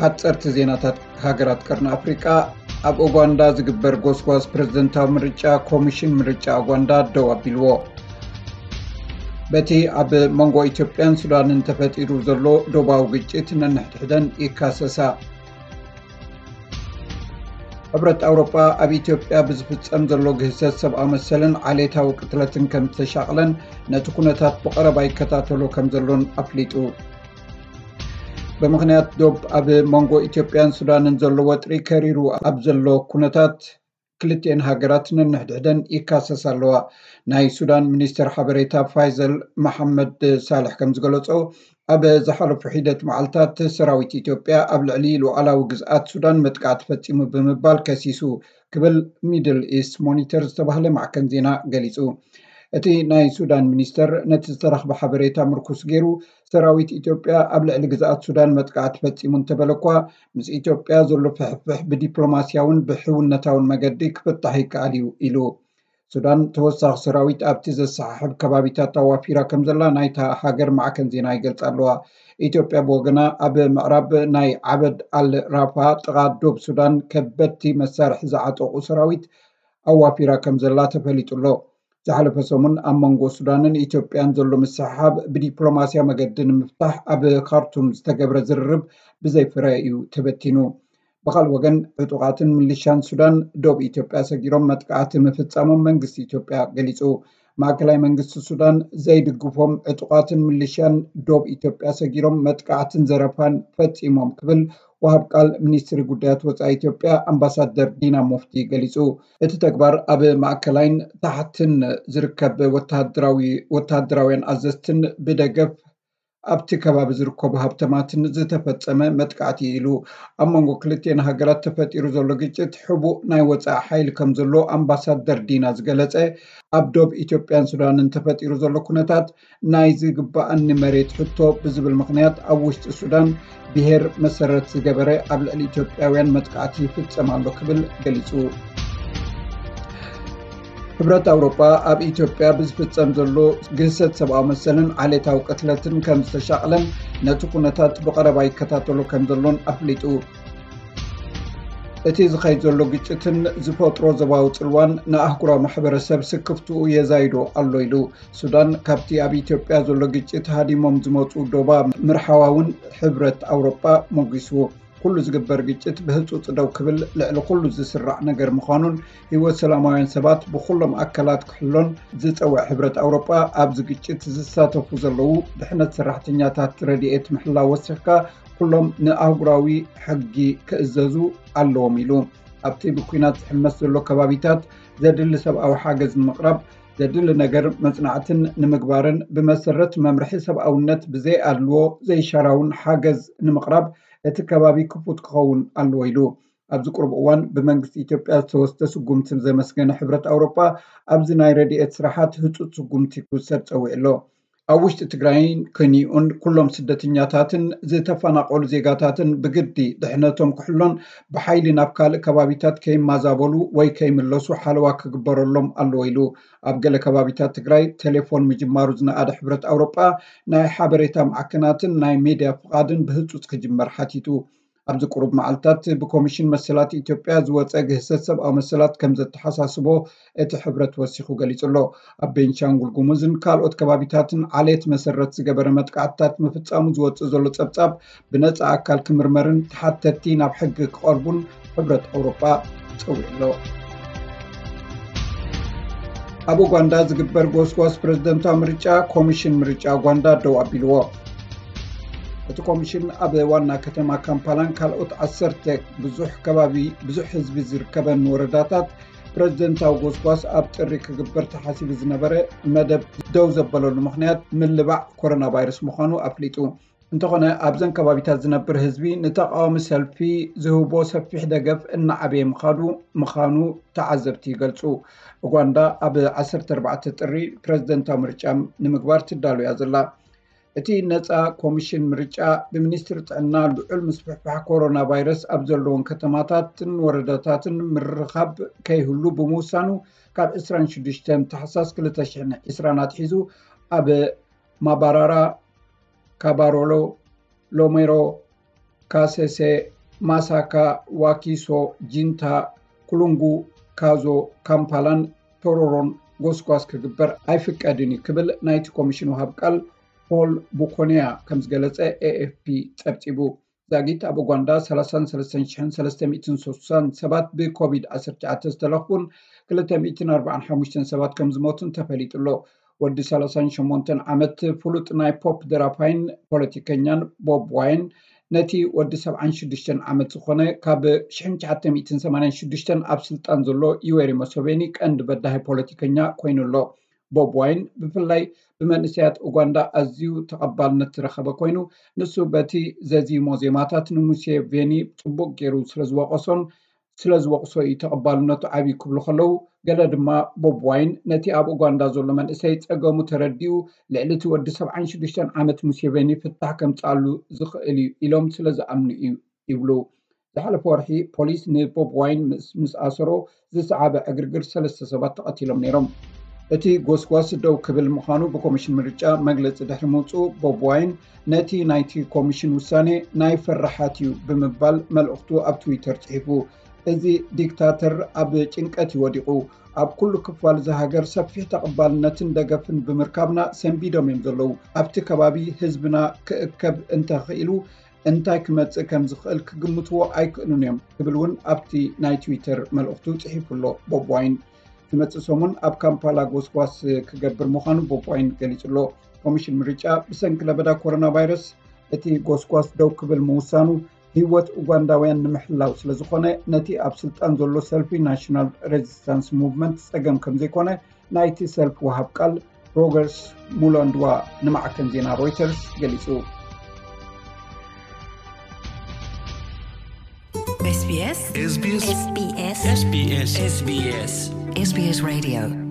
ሓፀርቲ ዜናታት ሃገራት ቀርኒ ኣፍሪቃ። ኣብ ኡጋንዳ ዝግበር ጎስጓስ ፕሬዝደንታዊ ምርጫ ኮሚሽን ምርጫ ኡጋንዳ ደው ኣቢልዎ። በቲ ኣብ መንጎ ኢትዮጵያን ሱዳንን ተፈጢሩ ዘሎ ዶባዊ ግጭት ነንሕድሕደን ይካሰሳ። ሕብረት ኣውሮጳ ኣብ ኢትዮጵያ ብዝፍጸም ዘሎ ግህሰት ሰብኣዊ መሰልን ዓሌታዊ ቅትለትን ከም ዝተሻቕለን ነቲ ኩነታት ብቐረባ ይከታተሎ ከም ዘሎን ኣፍሊጡ። ብምኽንያት ዶብ ኣብ መንጎ ኢትዮጵያን ሱዳንን ዘሎ ወጥሪ ከሪሩ ኣብ ዘሎ ኩነታት ክልቲኤን ሃገራት ነንሕድሕደን ይካሰስ ኣለዋ። ናይ ሱዳን ሚኒስተር ሓበሬታ ፋይዘል መሓመድ ሳልሕ ከም ዝገለጾ ኣብ ዝሓለፉ ሒደት መዓልታት ሰራዊት ኢትዮጵያ ኣብ ልዕሊ ሉዓላዊ ግዝኣት ሱዳን መጥቃዕቲ ፈጺሙ ብምባል ከሲሱ ክብል ሚድል ኢስት ሞኒተር ዝተባህለ ማዕከን ዜና ገሊጹ። እቲ ናይ ሱዳን ሚኒስተር ነቲ ዝተረኽበ ሓበሬታ ምርኩስ ገይሩ ሰራዊት ኢትዮጵያ ኣብ ልዕሊ ግዝኣት ሱዳን መጥቃዕቲ ፈጺሙ እንተበለ እኳ ምስ ኢትዮጵያ ዘሎ ፍሕፍሕ ብዲፕሎማስያውን ብሕውነታውን መገዲ ክፍታሕ ይከኣል እዩ ኢሉ። ሱዳን ተወሳኺ ሰራዊት ኣብቲ ዘሰሓሕብ ከባቢታት ኣዋፊራ ከም ዘላ ናይታ ሃገር ማዕከን ዜና ይገልጻ ኣለዋ። ኢትዮጵያ ብወገና ኣብ ምዕራብ ናይ ዓበድ ኣል ራፋ ጥቓ ዶብ ሱዳን ከበድቲ መሳርሒ ዝዓጠቑ ሰራዊት ኣዋፊራ ከም ዘላ ተፈሊጡ ኣሎ። ዝሓለፈ ሰሙን ኣብ መንጎ ሱዳንን ኢትዮጵያን ዘሎ ምስሕሓብ ብዲፕሎማስያ መገዲ ንምፍታሕ ኣብ ካርቱም ዝተገብረ ዝርርብ ብዘይፍረ እዩ ተበቲኑ። ብኻልእ ወገን ዕጡቓትን ምልሻን ሱዳን ዶብ ኢትዮጵያ ሰጊሮም መጥቃዕቲ ምፍጻሞም መንግስቲ ኢትዮጵያ ገሊጹ። ማእከላይ መንግስቲ ሱዳን ዘይድግፎም ዕጡቓትን ምልሻን ዶብ ኢትዮጵያ ሰጊሮም መጥቃዕትን ዘረፋን ፈጺሞም ክብል ወሃብ ቃል ሚኒስትሪ ጉዳያት ወጻኢ ኢትዮጵያ ኣምባሳደር ዲና ሙፍቲ ገሊጹ። እቲ ተግባር ኣብ ማእከላይን ታሕትን ዝርከብ ወተሃደራዊ ወተሃደራውያን ኣዘዝትን ብደገፍ ኣብቲ ከባቢ ዝርከቡ ሃብተማትን ዝተፈጸመ መጥቃዕቲ ኢሉ። ኣብ መንጎ ክልቲኤን ሃገራት ተፈጢሩ ዘሎ ግጭት ሕቡእ ናይ ወጻኢ ሓይሊ ከም ዘሎ ኣምባሳደር ዲና ዝገለጸ ኣብ ዶብ ኢትዮጵያን ሱዳንን ተፈጢሩ ዘሎ ኩነታት ናይ ዝግባኣኒ መሬት ሕቶ ብዝብል ምኽንያት ኣብ ውሽጢ ሱዳን ብሄር መሰረት ዝገበረ ኣብ ልዕሊ ኢትዮጵያውያን መጥቃዕቲ ይፍጸም ኣሎ ክብል ገሊጹ። ሕብረት ኣውሮጳ ኣብ ኢትዮጵያ ብዝፍጸም ዘሎ ግህሰት ሰብኣዊ መሰልን ዓሌታዊ ቅትለትን ከም ዝተሻቕለን ነቲ ኩነታት ብቐረባ ይከታተሎ ከም ዘሎን ኣፍሊጡ። እቲ ዝኸይድ ዘሎ ግጭትን ዝፈጥሮ ዞባዊ ጽልዋን ንኣህጉራዊ ማሕበረሰብ ስክፍትኡ የዛይዶ ኣሎ ኢሉ። ሱዳን ካብቲ ኣብ ኢትዮጵያ ዘሎ ግጭት ሃዲሞም ዝመጹ ዶባ ምርሓዋ እውን ሕብረት ኣውሮጳ ሞጊስዎ። ኩሉ ዝግበር ግጭት ብህጹጽ ደው ክብል ልዕሊ ኩሉ ዝስራዕ ነገር ምዃኑን ህይወት ሰላማውያን ሰባት ብኩሎም ኣካላት ክሕሎን ዝጸውዕ ሕብረት ኣውሮጳ ኣብዚ ግጭት ዝሳተፉ ዘለዉ ድሕነት ሰራሕተኛታት ረድኤት ምሕላው ወሲኽካ ኩሎም ንኣህጉራዊ ሕጊ ክእዘዙ ኣለዎም ኢሉ። ኣብቲ ብኲናት ዝሕመስ ዘሎ ከባቢታት ዘድሊ ሰብኣዊ ሓገዝ ንምቕራብ ዘድሊ ነገር መጽናዕትን ንምግባርን ብመሰረት መምርሒ ሰብኣውነት ብዘይ ኣድልዎ ዘይሻራውን ሓገዝ ንምቕራብ እቲ ከባቢ ክፉት ክኸውን ኣለዎ ኢሉ። ኣብዚ ቁሩብ እዋን ብመንግስቲ ኢትዮጵያ ዝተወስደ ስጉምቲ ዘመስገነ ሕብረት ኣውሮጳ ኣብዚ ናይ ረድኤት ስራሓት ህጹጽ ስጉምቲ ክውሰድ ጸዊዑ ኣሎ። ኣብ ውሽጢ ትግራይን ከኒኡን ኩሎም ስደተኛታትን ዝተፈናቐሉ ዜጋታትን ብግዲ ድሕነቶም ክሕሎን ብሓይሊ ናብ ካልእ ከባቢታት ከይማዛበሉ ወይ ከይምለሱ ሓለዋ ክግበረሎም ኣለዎ ኢሉ። ኣብ ገለ ከባቢታት ትግራይ ቴሌፎን ምጅማሩ ዝነኣደ ሕብረት ኣውሮጳ ናይ ሓበሬታ ማዕከናትን ናይ ሜድያ ፍቓድን ብህጹጽ ክጅመር ሓቲቱ። ኣብዚ ቁሩብ መዓልታት ብኮሚሽን መሰላት ኢትዮጵያ ዝወጸ ግህሰት ሰብኣዊ መሰላት ከም ዘተሓሳስቦ እቲ ሕብረት ወሲኹ ገሊጹ ኣሎ። ኣብ ቤንሻንጉል ጉሙዝን ካልኦት ከባቢታትን ዓሌት መሰረት ዝገበረ መጥቃዕትታት ምፍጻሙ ዝወጽእ ዘሎ ጸብጻብ ብነጻ ኣካል ክምርመርን ተሓተትቲ ናብ ሕጊ ክቐርቡን ሕብረት ኣውሮጳ ጸዊዑ ኣሎ። ኣብ ኡጋንዳ ዝግበር ጎስጓስ ፕሬዝደንታዊ ምርጫ ኮሚሽን ምርጫ ኡጋንዳ ደው ኣቢልዎ። እቲ ኮሚሽን ኣብ ዋና ከተማ ካምፓላን ካልኦት ዓሰርተ ብዙሕ ከባቢ ብዙሕ ህዝቢ ዝርከበን ወረዳታት ፕሬዝደንታዊ ጎስጓስ ኣብ ጥሪ ክግበር ተሓሲቡ ዝነበረ መደብ ደው ዘበለሉ ምኽንያት ምልባዕ ኮሮና ቫይረስ ምዃኑ ኣፍሊጡ። እንተኾነ ኣብዘን ከባቢታት ዝነብር ህዝቢ ንተቃዋሚ ሰልፊ ዝህቦ ሰፊሕ ደገፍ እናዓበየ ምኻዱ ምዃኑ ተዓዘብቲ ይገልጹ። ኡጋንዳ ኣብ ዓሰርተ ኣርባዕተ ጥሪ ፕሬዝደንታዊ ምርጫ ንምግባር ትዳሎ እያ ዘላ። እቲ ነጻ ኮሚሽን ምርጫ ብሚኒስትሪ ጥዕና ልዑል ምስፍሕፋሕ ኮሮና ቫይረስ ኣብ ዘለዎም ከተማታትን ወረዳታትን ምርኻብ ከይህሉ ብምውሳኑ ካብ ዕስራን ሽዱሽተን ታሕሳስ ክልተ ሽሕን ዕስራን ኣትሒዙ ኣብ ማባራራ፣ ካባሮሎ፣ ሎሜሮ፣ ካሰሴ፣ ማሳካ፣ ዋኪሶ፣ ጂንታ፣ ኩሉንጉ፣ ካዞ፣ ካምፓላን ቶሮሮን ጎስጓስ ክግበር ኣይፍቀድን እዩ ክብል ናይቲ ኮሚሽን ወሃብ ቃል ፖል ቡኮንያ ከም ዝገለጸ ኤኤፍፒ ጸብጺቡ። ዛጊት ኣብ ኡጋንዳ ሰላሳን ሰለስተን ሽሕን ሰለስተ ሚእትን ስሳን ሰባት ብኮቪድ ዓሰርተ ትሽዓተ ዝተለኽፉን ክልተ ሚእትን ኣርባዓን ሓሙሽተን ሰባት ከም ዝሞቱን ተፈሊጡ ኣሎ። ወዲ ሰላሳን ሸሞንተን ዓመት ፍሉጥ ናይ ፖፕ ደራፋይን ፖለቲከኛን ቦብ ዋይን ነቲ ወዲ ሰብዓን ሽዱሽተን ዓመት ዝኾነ ካብ ሽሕን ትሽዓተ ሚእትን ሰማንያን ሽዱሽተን ኣብ ስልጣን ዘሎ ዩዌሪ ሙሰቬኒ ቀንዲ በዳሂ ፖለቲከኛ ኮይኑ ኣሎ። ቦብ ዋይን ብፍላይ ብመንእሰያት ኡጋንዳ ኣዝዩ ተቐባልነት ዝረኸበ ኮይኑ፣ ንሱ በቲ ዘዚሞ ዜማታት ንሙሴቬኒ ጽቡቕ ገይሩ ስለ ዝወቐሶን ስለ ዝወቕሶ እዩ ተቐባልነቱ ዓብዩ ክብሉ ከለዉ፣ ገለ ድማ ቦብ ዋይን ነቲ ኣብ ኡጋንዳ ዘሎ መንእሰይ ጸገሙ ተረዲኡ ልዕሊ እቲ ወዲ ሰብዓን ሽዱሽተን ዓመት ሙሴቬኒ ፍታሕ ከምጽኣሉ ዝኽእል እዩ ኢሎም ስለ ዝኣምኑ እዩ ይብሉ። ዝሓለፈ ወርሒ ፖሊስ ንቦብ ዋይን ምስ ኣሰሮ ዝሰዓበ ዕግርግር ሰለስተ ሰባት ተቐቲሎም ነይሮም። እቲ ጎስጓስ ደው ክብል ምዃኑ ብኮሚሽን ምርጫ መግለጺ ድሕሪ ምውፅኡ፣ ቦብ ዋይን ነቲ ናይቲ ኮሚሽን ውሳኔ ናይ ፈራሓት እዩ ብምባል መልእኽቱ ኣብ ትዊተር ጽሒፉ። እዚ ዲክታተር ኣብ ጭንቀት እዩ ወዲቑ። ኣብ ኩሉ ክፋል እዚ ሃገር ሰፊሕ ተቐባልነትን ደገፍን ብምርካብና ሰንቢዶም እዮም ዘለዉ። ኣብቲ ከባቢ ህዝብና ክእከብ እንተኽኢሉ እንታይ ክመጽእ ከም ዝኽእል ክግምትዎ ኣይክእሉን እዮም ክብል እውን ኣብቲ ናይ ትዊተር መልእኽቱ ጽሒፉ ኣሎ ቦብ ዋይን። ዝመጽእ ሰሙን ኣብ ካምፓላ ጎስጓስ ክገብር ምዃኑ ቦብ ዋይን ገሊጹ ኣሎ። ኮሚሽን ምርጫ ብሰንኪ ለበዳ ኮሮና ቫይረስ እቲ ጎስጓስ ደው ክብል ምውሳኑ ህይወት ኡጋንዳውያን ንምሕላው ስለ ዝኾነ ነቲ ኣብ ስልጣን ዘሎ ሰልፊ ናሽናል ሬዚስታንስ ሙቭመንት ጸገም ከም ዘይኮነ ናይቲ ሰልፊ ወሃብ ቃል ሮገርስ ሙሎንድዋ ንማዕከን ዜና ሮይተርስ ገሊጹ። SBS SBS SBS SBS SBS Radio